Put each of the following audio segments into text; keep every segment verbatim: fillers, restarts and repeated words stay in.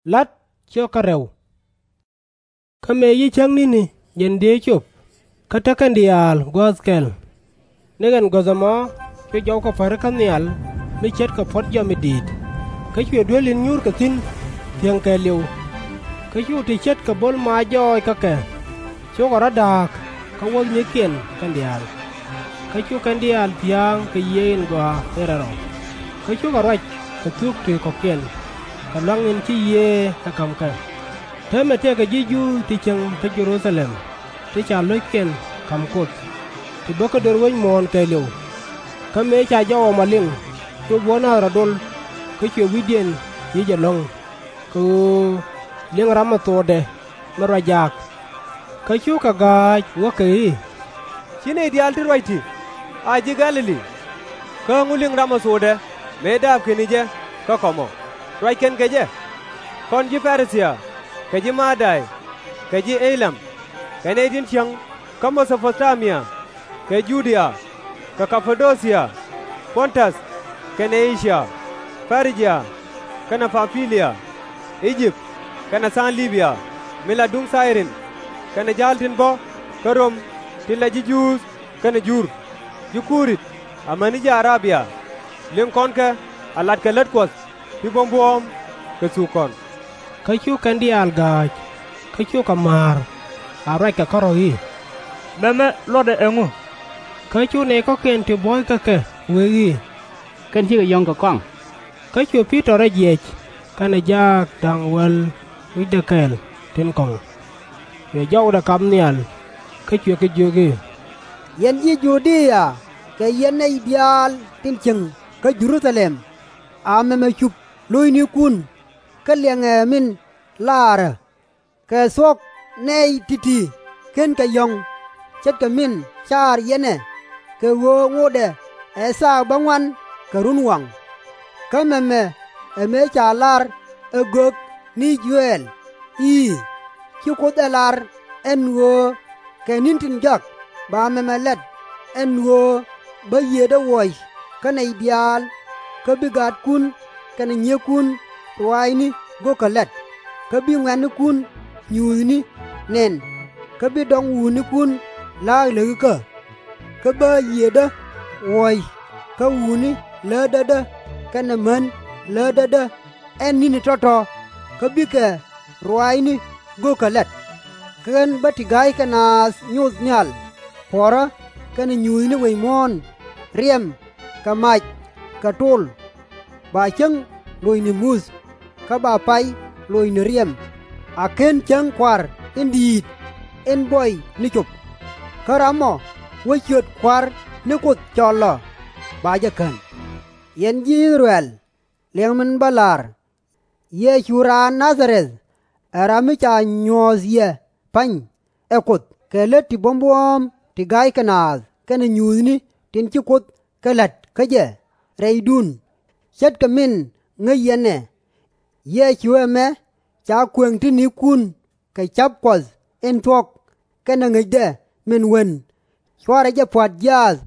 La̱t ciök kä rɛw. Kä mëë ci cäŋ ni̱ni jɛn dhieec cop, kä te kɛn diaal guäth kɛl. Ni ɛn guäth ɛmɔ, cu jɔwä pärikä nhial mi ce̱tkɛ puɔ̱t jiɔam mi di̱i̱t, kä cuɛ duel in nyuurkɛ thi̱n thiäŋ kɛɛliw. Kä cu ti ce̱tkɛ bo̱l maac jɔɔc kä kɛ, cukɛ rɔ̱ da̱a̱k kä wuɔ̱thnikiɛn kɛn diaal. Kä cu kɛn diaal thia̱a̱ŋ kɛ Yiëë in Gɔaa in Rɛl Rɔ, kä cukɛ ruac kɛ thuk ti kɔ̱kiɛn, kɛ lua̱ŋ in ci Yiëë ɛ ka̱m kɛ. Täämɛ tëëkɛ ji̱ Juudh ti cieŋ kä Jɛ-ru-tha-lɛm, ti ca lo̱ckiɛn ka̱m Kuoth, ti bä kä döör wec muɔ̱ɔ̱n kɛɛliw. Kä mëë ca jɔw ɛmɔ liŋ, cu buɔ̱n nath rɔ dol, kä cuɛ wi̱cdiɛn yi̱c ɛlɔ̱ŋ, kɛ ɣöö liŋ ram ɛ thokdɛ min ruac jaak. Kä cukɛ ga̱a̱c, wäkɛ i̱, Ci nɛy diaal ti ruac ti̱ a ji̱ Gɛ̈-lɛ-li? Kä ɛŋu liŋ ram ɛ thokdɛ mëë daapkɛ ni jɛ kä kɔmɔ, ruac kɛn kɛ jɛ? Kɔn ji̱ Pɛ-ri-thia, kɛ ji̱ Mä-day, kɛ ji̱ Ee-lam, kɛ nɛy tin cieŋ kä Mɛ-tho-po-ta-mia, kɛ Ju-dia, kɛ Ka-pa-do-cia, Pɔn-täth, kɛnɛ Ee-cia, Pɛ-ri-jia, kɛnɛ Pam-pi-lia, I-jëp, kɛnɛ tha̱a̱ŋ Lib-ya min la duŋ Thay-rin, kɛnɛ ja̱a̱l tin bä kä Röm tin la ji̱ Juudh kɛnɛ Jur, ji̱ Ku-rit amäni ji̱ A-rab-ya, liŋ kɔn kɛ a latkɛ lät Kuɔth ti buɔ̱m buɔ̱ɔ̱m kɛ thuk kɔn. Kä cu kɛn diaal ga̱a̱c, kä cukɛ ma̱a̱r, a ruackɛ kärɔ̱ i̱, Mɛmɛ luɔtdɛ ɛŋu? Kä cu nɛy kɔ̱kiɛn ti buɔ̱ykɛ kɛ wëë i̱, Kɛn cikɛ yɔ̱ŋ kɛ kɔaŋ. Kä cu Pi-tɔr rɔ jiɛc kɛnɛ jaak da̱ŋ wäl wi̱cdɛ kɛl tin kɔ̱ŋ, cuɛ jɔwdɛ kap nhial, kä cuɛ kɛ jiök i̱, Yɛn ji̱ Ju-dia, kɛ yɛn nɛy diaal tin cieŋ kä Jɛ-ru-tha-lɛm, a mɛmɛ cup lo̱cnikun, kä liɛŋɛ min laarä, kɛ thuɔ̱k nɛy ti̱ti̱ /kenkɛ yɔ̱ŋ, ce̱tkɛ min caar yɛn ɛ, kɛ ɣöö ŋotdɛ ɛ thaak bäŋuan kɛ runwaŋ. Kä mɛmɛ ɛ mëë ca lar ɛ gök ni Yo-el i̱, Ci Kuoth ɛ lar ɛn ɣöö kɛ ni̱n tin jɔak ba mɛmɛ lat, ɛn ɣöö bä Yiëëdä wuɔc kä nɛy diaal, kä bi gaatkun kɛnɛ nyiëëkun ruaacni go̱o̱kä la̱t, kä bi ŋuɛ̈tnikun nyuuthni nɛn, kä bi dɔŋ wutnikun la̱a̱k läkikä. Kä bä Yiëëdä wuɔc kä wutni lätdädä kɛnɛ män lätdädä ɛn ni̱ni tɔ̱tɔ̱, kä bikɛ ruaacni go̱o̱kä la̱t. Kä ɣän bä ti ga̱ykɛ naath nyoth nhial puɔ̱rä kɛnɛ nyuuthni wec muɔ̱ɔ̱n, riɛm, kɛ mac, kɛ tol. Ba cäŋ loc ni muth, kä ba pay loc ni riɛm, a /ken cäŋ Kua̱r in di̱i̱t in buɔy ni cop. Kä ram ɔ wä ciöt Kua̱r ni Kuoth cɔl ɔ, ba jɛ kän. Yɛn ji̱ I-thɛ-rɛl, liɛŋɛ min bä la̱r. Yecu raan Na-dha-rɛth, ɛ ram mi ca nyuɔ̱th yɛ pa̱ny ɛ Kuoth kɛ lät ti buɔ̱m buɔ̱ɔ̱m ti ga̱ykɛ naath kɛnɛ nyuuthni tin ci Kuoth kɛ la̱t kä jɛ rɛydun, ce̱tkɛ min ŋäc yɛn ɛ. Yecu ɛmɛ ca kuëŋ ti̱nikun kɛ ca̱p Kuɔth in thuɔ̱k kɛnɛ ŋäcdɛ min wen, cuarɛ jɛ pua̱t jiaath,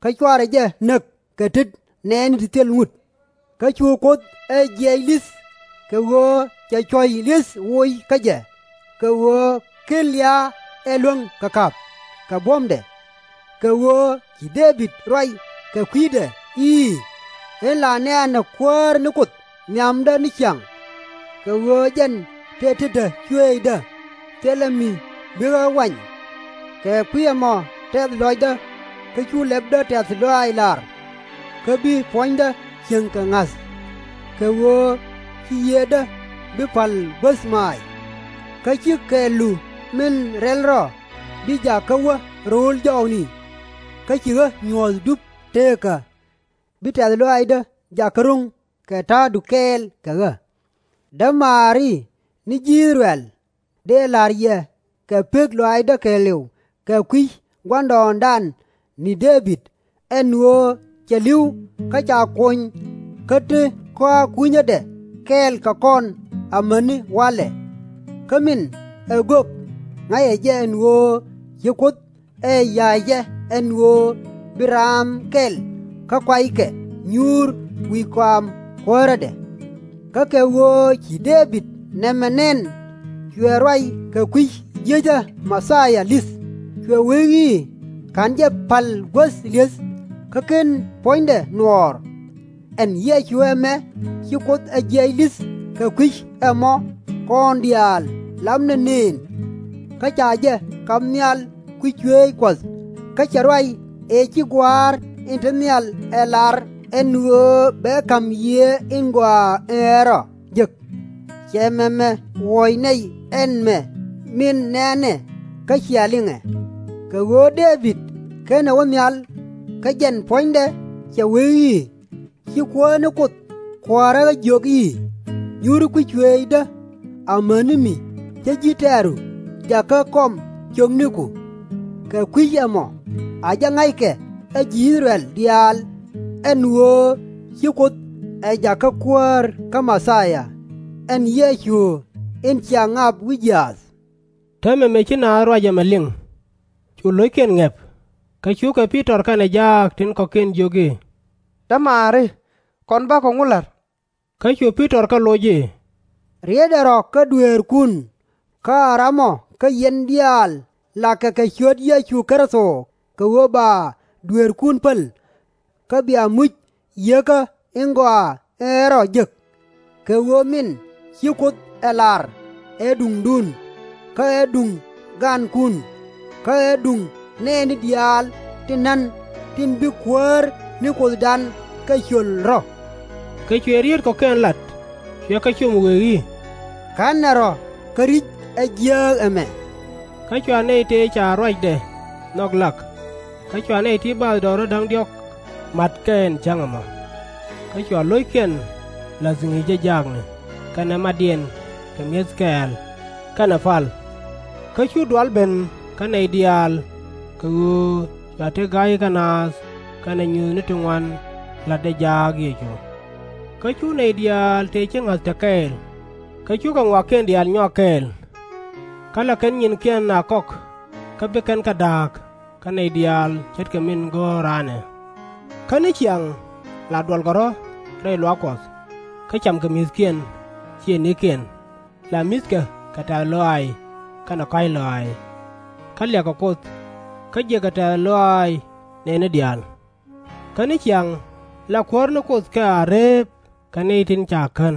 kä cuarɛ jɛ näk kɛ tet nɛɛni ti thil ŋut. Kä cu Kuoth ɛ jiɛc li̱th, kɛ ɣöö cɛ cuɔ̱c li̱th woc kä jɛ, kɛ ɣöö /ken lia̱a̱ ɛ luäŋ kɛ ka̱p kɛ buɔ̱mdɛ. Kɛ ɣöö ci Dee-bid ruac kɛ kui̱dɛ i̱, Ɣän la nɛ̈ɛ̈nä Kuäär ni Kuoth nhiamdä ni ciaŋ, kɛ ɣöö jɛn tëë tetdä cuëëcdä, thilɛ mi bi ɣä wany. Kɛ kui̱ ɛmɔ tɛth lɔcdä, kä cu lɛpdä tɛ̈th lɔaac lar, kä bi puɔ̱nydä cieŋ kɛ ŋa̱th, kɛ ɣöö ci Yiëëdä bi pa̱l guäth maac. Kä ci kɛɛlu min rɛl rɔ bi jak kä wä ro̱o̱l jɔɔkni, kä ci ɣä nyuɔ̱th dup teekä, bi tɛ̈th lɔaacdä jak kä ro̱ŋ kɛ ta̱a̱du kɛɛl kɛ ɣä. Dämaari ni ji̱ I-thɛ-rɛl, dëë la̱r yɛ kɛ pek lɔaacdä kɛɛliw kɛ kui̱ gua̱ndɔɔŋdan ni Dee-bid, ɛn ɣöö cɛ li̱w kä ca kony kä te kɔa̱a̱k kui̱nyädɛ kɛɛl kɛ kɔn amäni walɛ. Kä min ɛ gök ŋa̱cɛ jɛ ɛn ɣöö ci Kuoth ɛ ya̱a̱cɛ ɛn ɣöö bi raam kɛl kä kuaykɛ nyuur wi̱i̱ kɔam kuäärädɛ. Kä kɛ ɣöö ci Dee-bid Nɛmɛ nɛn, cuɛ ruac kɛ kui̱ jiäcä Mɛthia li̱th, cuɛ wee i̱, /Ka̱n jɛ pa̱l guäth li̱eth kä /ken puɔ̱nydɛ nuɔɔr. Ɛn Yecu ɛmɛ ci Kuoth ɛ jiɛc li̱th kɛ kui̱c ɛmɔ kɔn diaal lapnɛ nëën. Kä ca jɛ kap nhial kui̱c cuëëc Kuɔth, kä cɛ ruac ëë ci Gua̱a̱r in te nhial ɛ lar ɛn ɣöö bɛ ka̱m Yiëë in Gɔaa in Rɛl Rɔ jek. Cɛ mɛmɛ wuɔc nɛy ɛn mɛ min nɛ̈nɛ kä cia liŋɛ. Kɛ ɣöö Dee-bid /kenɛ wä nhial, kä jɛn puɔ̱nydɛ cɛ wee i̱, Ci Kuäär ni Kuoth Kua̱rä ɣä jiök i̱, Nyuuri kui̱c cuëëcdä, amäni mi cä ji̱ tɛ̈ru jakä kɔm ciökniku. Kɛ kui̱c ɛmɔ a jɛ ŋa̱ckɛ ɛ ji̱ I-thɛ-rɛl diaal, ɛn ɣöö ci Kuoth ɛ jakä Kuäär kä Mɛthia, ɛn Yecu in cia ŋap wi̱c jiaath. Täämɛ mëë ci naath ruac ɛmɛ liŋ, cu lo̱ckiɛn ŋɛ̈p, kä cukɛ Pi-tɔr kɛnɛ jaak tin kɔ̱kiɛn jiök i̱, Dämaari, kɔn bakɔ ŋu la̱t? Kä cu Pi-tɔr kɛ loc i̱, Rietdɛ rɔ kä dueerkun, kä a ramɔ kä yɛn diaal lakɛ kɛ ciöt Yecu Kritho kɛ ɣöö ba dueerkun päl, kä bia muc Yieekä in Gɔaa in Rɛl Rɔ jek. Kɛ ɣöö min ci Kuoth ɛ lar ɛ duŋdun, kä ɛ duŋ gankun, kä ɛ duŋ nɛɛni diaal tin na̱n tin bi Kuäär ni Kuothdan kɛ cöl rɔ̱. Kä cuɛ rieet kɔ̱kiɛn lat, cuɛ kɛ com wëë i̱, Ka̱nɛ rɔ kä ri̱c ɛ jiääk ɛmɛ. Kä cua nɛy tëë ca ruacdɛ nhɔk lak, kä cua nɛy ti bathdɔɔri da̱ŋ diɔ̱k mat kɛ ɛn cäŋ ɛmɔ. Kä cua lo̱ckiɛn la̱th ŋi̱i̱cä jaakni kɛnɛ matdiɛn kɛ mi̱eth kɛɛl kɛnɛ pal. Kä cu dual ben kä nɛy diaal, kɛ ɣöö cua te ga̱ykɛ naath kɛnɛ nyuuthni ti ŋuan la̱tdɛ jaak Yecu. Kä cu nɛy diaal tëë ci ŋa̱th te kɛɛl, kä cukɛ ŋɔakiɛn diaal nyuak kɛɛl. Kä la kɛn nyinkiɛn a kɔk, kä bi kɛn kɛ da̱a̱k kä nɛy diaal ce̱tkɛ min go̱o̱r raan ɛ. Kä ni ciaŋ, la duɔlkɛ rɔ̱ rɛy luaak Kuɔth, kä camkɛ mi̱thkiɛn ciëëŋnikiɛn, la mi̱thkɛ kɛ tɛ̈th lɔaac kɛnɛ kɔ̱a̱c lɔaac. Kä liakɛ Kuoth, kä jiäkɛ tɛ̈th lɔaac nɛɛni diaal. Kä ni ciaŋ, la Kuäär ni Kuoth kɛ a reep kɛ nɛy tin ca kän.